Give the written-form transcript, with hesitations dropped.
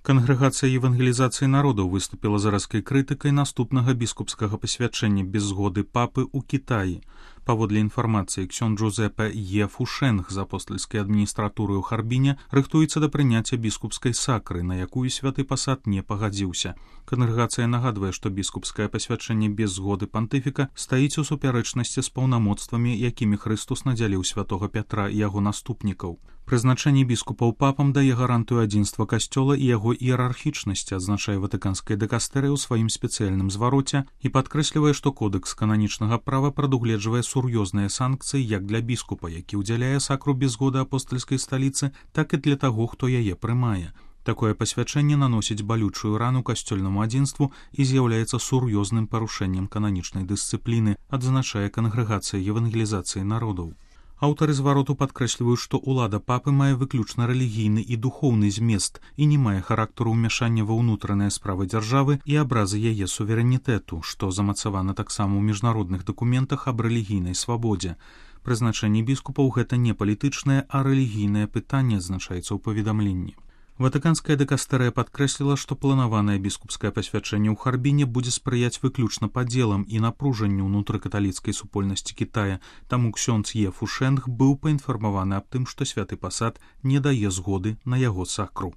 Кангрэгацыя евангелізацыі народаў выступіла з рэзкай крытыкай наступнага біскупскага пасвячэння без згоды папы ў Кітаі. Паводле інфармацыі, ксён Джузепе Е. Фушэнг з апостальскай адміністратуры ў Харбіне рыхтуецца да прыняцця біскупскай сакры, на якую святы пасад не пагадзіўся. Кангрэгацыя нагадвае, што біскупскае пасвячэнне без згоды пантыфіка стаіць у супярэчнасці з паўнамоцтвамі, якімі Хрыстус надзяліў святога Пятра і яго наступнікаў. Прызначэнне біскупаў папам дае гарантыю адзінства касцёла і яго іерархічнасці, адзначае ватыканская дыкастэрыя ў сваім спецыяльным звароце і падкрэслівае, што кодэкс кананічнага права прадугледжвае сур'ёзныя санкцыі як для біскупа, які ўдзяляе сакру без згоды апостальскай сталіцы, так і для таго, хто яе прымае. Такое пасвячэнне наносіць балючую рану касцёльнаму адзінству і з'яўляецца сур'ёзным парушэннем кананічнай дысцыпліны, адзначае кангрэгацыя евангелізацыі народаў. Аўтары звароту падкрэсліваюць, што ўлада папы мае выключна рэлігійны і духоўны змест і не мае характару ўмяшання ва ўнутраныя справы дзяржавы і абразы яе суверэнітэту, што замацавана таксама ў міжнародных дакументах аб рэлігійнай свабодзе. Прызначэнне біскупаў гэта не палітычнае, а рэлігійнае пытанне, адзначаецца ў паведамленні. Ватыканская дыкастэрыя падкрэсліла, што планаванае біскупскае пасвячэнне ў Харбіне будзе спрыяць выключна падзелам і напружанню ўнутрыкаталіцкай супольнасці Кітая, таму ксёндз Е. Фушэнг быў паінфармаваны аб тым, што святы пасад не дае згоды на яго сакру.